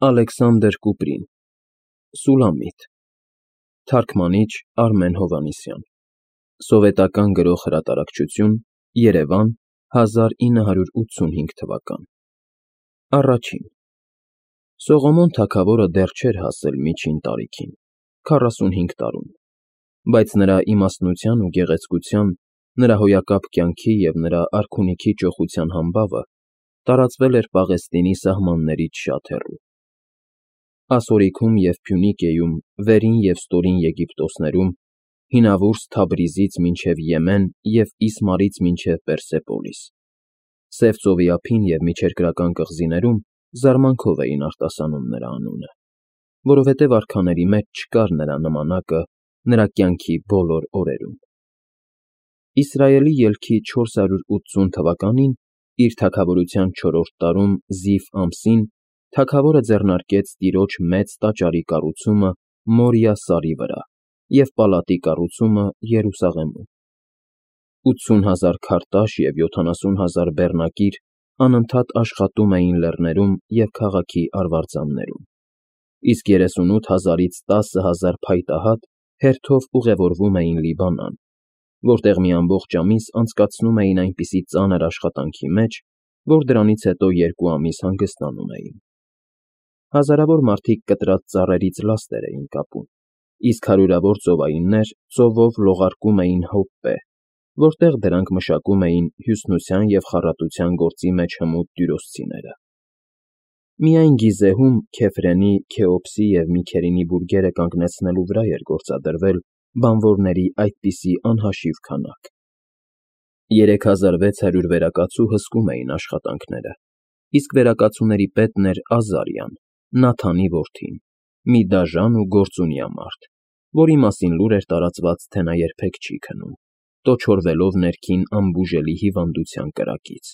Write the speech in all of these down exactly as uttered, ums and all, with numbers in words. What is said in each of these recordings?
Ալեքսանդր Կուպրին, Սուլամիտ, թարգմանիչ Արմեն Հովհաննիսյան, սովետական գրող֊հրատարակչություն, Երևան, հազար ինը հարյուր ութսունհինգ թվական։ Առաջին Սողոմոն թագավորը դեռ չէր հասել միջին տարիքին, քառասունհինգ տարուն, բայց նրա իմաստնության ու գեղեցկության, նրա հոյակապ կյանքի և նրա արքունիքի ճոխության համբավը տարածվել էր Պաղեստինի սահմաններից շատ հեռու։ Ասորիքում և Փյունիկիեում, Վերին և Ստորին Եգիպտոսներում, հինավուրց Թաբրիզից մինչև Եմեն և Իսմարից մինչև Պերսեպոլիս, Սև ծովի ափին և միջերկրական կղզիներում զարմանքով էին արտասանում նրա անունը, որովհետև արքաների մեջ չկար նրա նմանակը նրա կյանքի բոլոր օրերում։ Իսրայելի ելքի չորս հարյուր ութսուն թվականին, իր թագավորության չորրորդ տարում Զիվ ամսին, թագավորը ձեռնարկեց տիրոջ մեծ տաճարի կառուցումը Մորիա սարի վրա և պալատի կառուցումը Երուսաղեմում։ ութսուն հազար քարտաշ և յոթանասուն հազար բեռնակիր անընդհատ աշխատում էին լեռներում և քաղաքի արվարձաններում, իսկ երեսունութ հազարից տասը հազար փայտահատ հերթով ուղևորվում էին Լիբանան, որտեղ մի ամբողջ ամիս անցկացնում էին այնպիսի ծանր աշխատանքի մեջ, որ դրանից հետո երկու ամիս հանգստանում էին։ Հազարավոր մարդիկ կտրած ծառերից լաստեր էին կապում, իսկ հարյուրավոր ծովայիններ ծովով լողարկում էին հոպպե, որտեղ դրանք մշակում էին հյուսնության և խառատության գործի մեջ հմուտ տյուրոսցիները։ Միայն Գիզեհում Քեֆրենի, Քեոպսի և Միքերինի բուրգերը կանգնեցնելու վրա էր գործադրվել բանվորների այդպիսի անհաշիվ քանակ։ Երեք հազար վեց հարյուր վերակացու հսկում էին աշխատանքները, իսկ վերակացուների պետն էր Ազարիան, Նաթանի որդին, մի դաժան ու գործունյա մարդ, որի մասին լուր էր տարածված, թե նա երբեք չի քնում, տոչորվելով ներքին անբուժելի հիվանդության կրակից։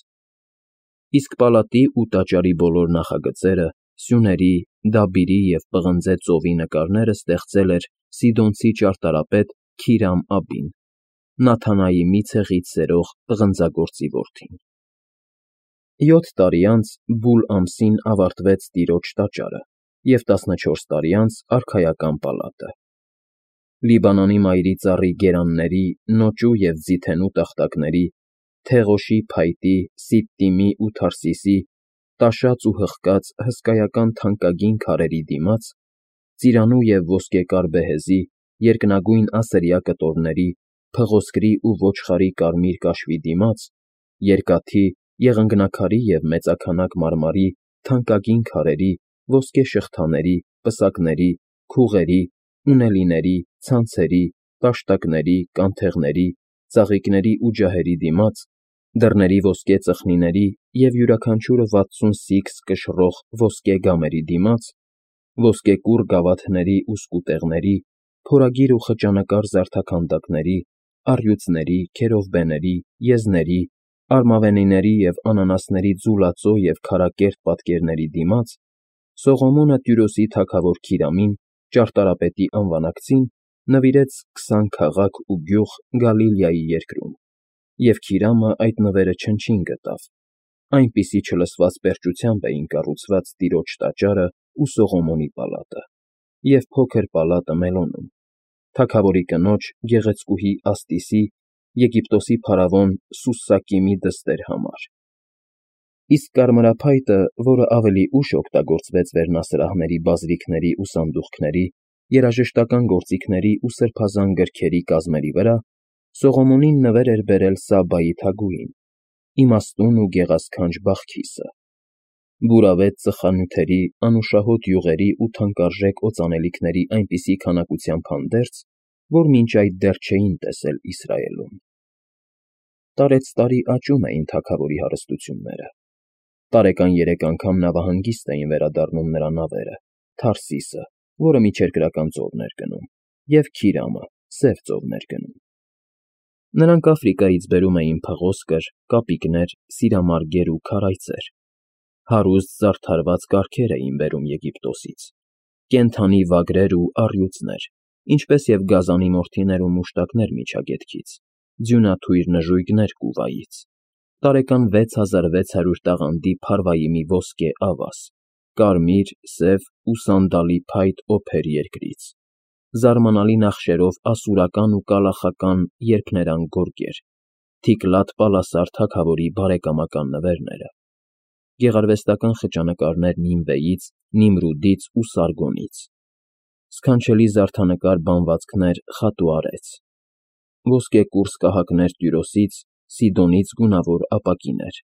Իսկ պալատի ու տաճարի բոլոր նախագծերը, սյուների, Դաբիրի և պղնձե ծովի նկարները ստեղծել էր Սիդոնցի ճարտարապետ Քիրամ Աբին, Նաթանայի մի ցեղից սերող պղնձագործի որդին։ Յոթ տարի անց Բուլ ամսին ավարտվեց տիրոջ տաճարը և տասնչորս տարի անց արքայական պալատը։ Լիբանանի մայրի ծառի գերանների, նոճու և ձիթենու տախտակների, Թեղոշի փայտի, Սիտտիմի ու Թարսիսի, տաշած ու հղկած հսկայական թանկագին քարերի դիմաց, ծիրանու և ոսկեկար բեհեզի, երկնագույն ասրյա կտորների, փղոսկրի ու ոչխարի կարմիր կաշվի դիմաց, երկաթի, եղնգնաքարի և մեծաքանակ մարմարի թանկագին քարերի, ոսկե շղթաների, պսակների, քուղերի, ունելիների, ցանցերի, տաշտակների, կանթեղների, ծաղիկների ու ջահերի դիմաց, դռների ոսկե ծխնիների և յուրաքանչյուրը վաթսուն սիքս կշռող ոսկե գամերի դիմաց, ոսկեկուռ գավաթների ու սկուտեղների, փորագիր ու խճանկար զարդաքանդակների, առյուծների, քերովբեների, եզների, արմավենիների և անանասների ձուլածո և քարակերտ պատկերների դիմաց, Սողոմոնը Տյուրոսի թագավոր Քիրամին, ճարտարապետի անվանակցին, նվիրեց քսան քաղաք ու գյուղ Գալիլեայի երկրում, և Քիրամը այդ նվերը չնչին գտավ, այնպիսի չլսված պերճությամբ էին կառուցված տիրոջ տաճարը ու Սողոմոնի պալատը, և փոքր պալատը Մելոնում, թագավորի կնոջ գեղեցկուհի Աստիսի, Եգիպտոսի փարավոն Սուսակիմի դստեր համար։ Իսկ կարմրափայտը, որը ավելի ուշ օգտագործվեց վերնասրահների բազրիքների ու սանդուղքների, երաժշտական գործիքների ու սրբազան գրքերի կազմերի վրա, Սողոմոնին նվեր էր բերել Սաբայի թագուհին, իմաստուն ու գեղասքանչ Բախքիսը։ Բուրավետ ծխանյութերի, անուշահոտ յուղերի ու թանկարժեք օծանելիքների այնպիսի քանակությամբ հանդերձ, որ մինչ այդ դեռ չէին տեսել Իսրայելում։ Տարեցտարի աճում էին թագավորի հարստությունները։ Տարեկան երեք անգամ նավահանգիստ էին վերադառնում նրա նավերը, Թարսիսը, որը միջերկրական ծովն էր գնում, և Քիրամը, Սև ծովն էր գնում։ Նրանք Աֆրիկայից բերում էին փղոսկր, կապիկներ, սիրամարգեր ու քարայծեր, հարուստ զարդարված կառքեր էին բերում Եգիպտոսից, կենդանի վագրեր ու առյուծներ, ինչպես և գազանի մորթիներ ու մուշտակներ Միջագետքից, ձյունաթույր նժույգներ Կուվայից, տարեկան վեց հազար վեց հարյուր տաղանդի փարվայիմի ոսկե ավազ, կարմիր, սև ու սանդալի փայտ օփեր երկրից, զարմանալի նախշերով ասուրական ու կալախական երփներանգ գորգեր, թիկլատ պալասար թագավորի բարեկամական նվերները, գեղարվեստական խճանկարներ Նինվեից, Նիմրուդից ու Սարգոնից, սքանչելի զարդանկար բանվածքներ Խատուարից, ոսկե կուրծք կահակներ Տյուրոսից, Սիդոնից գունավոր ապակիներ,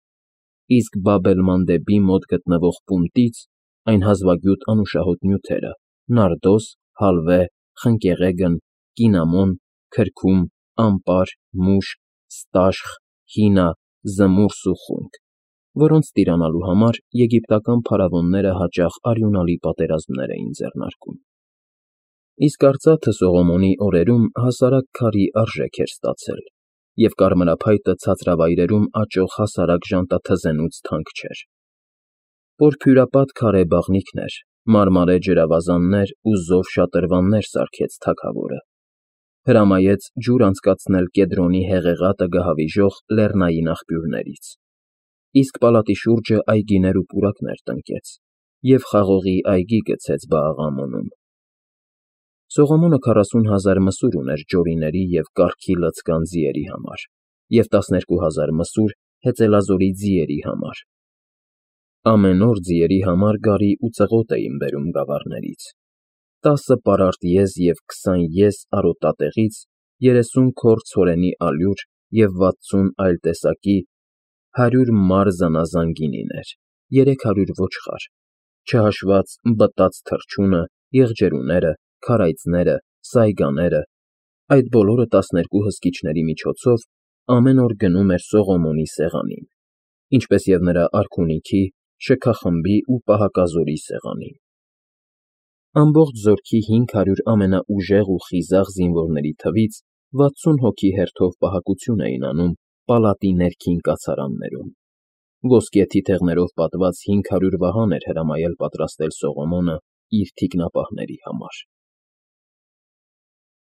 իսկ Բաբել֊Մանդեբի մոտ գտնվող Պունտից այն հազվագյուտ անուշահոտ նյութերը՝ նարդոս, հալվե, խնկեղեգն, կինամոն, քրքում, ամպար, մուշկ, ստաշխ, հինա, զմուրս ու խունկ, որոնց տիրանալու համար եգիպտական փարավոնները հաճախ արյունալի պատերազմներ էին ձեռնարկում։ Իսկ արծաթը Սողոմոնի օրերում հասարակ քարի արժեք էր ստացել, և կարմրափայտը ցածրավայրերում աճող հասարակ ժանտաթզենուց թանկ չէր։ Պորֆյուրապատ քարե բաղնիքներ, մարմարե ջրավազաններ ու զով շատրվաններ սարքեց թագավորը, հրամայեց ջուր անցկացնել Կեդրոնի հեղեղատը գահավիժող լեռնային աղբյուրներից, իսկ պալատի շուրջը այգիներ ու պուրակներ տնկեց և խաղողի այգի գցեց Բաաղամոնում։ Սողոմոնը քառասուն հազար մսուր ուներ ջորիների և կառքի լցկան ձիերի համար և տասներկու հազար մսուր հեծելազորի ձիերի համար։ Ամեն օր ձիերի համար գարի ու ծղոտ էին բերում գավառներից, տասը պարարտ եզ և քսան եզ արոտատեղից, երեսուն քոռ ցորենի ալյուր և վաթսուն այլ տեսակի, հարյուր մար զանազան գինիներ, երեք հարյուր ոչխար, չհաշված բտած թռչունը, եղջերուները, քարայծները, սայգաները, այդ բոլորը տասներկու հսկիչների միջոցով ամեն օր գնում էր Սողոմոնի սեղանին, ինչպես և նրա արքունիքի, շքախմբի ու պահակազորի սեղանին։ Ամբողջ զորքի հինգ հարյուր ամենաուժեղ ու խիզախ զինվորների թվից վաթսուն հոգի հերթով պահակություն էին անում պալատի ներքին կացարաններում։ Ոսկե թիթեղներով պատված հինգ հարյուր վահան էր հրամայել պատրաստել Սողոմոնը իր թիկնապահների համար։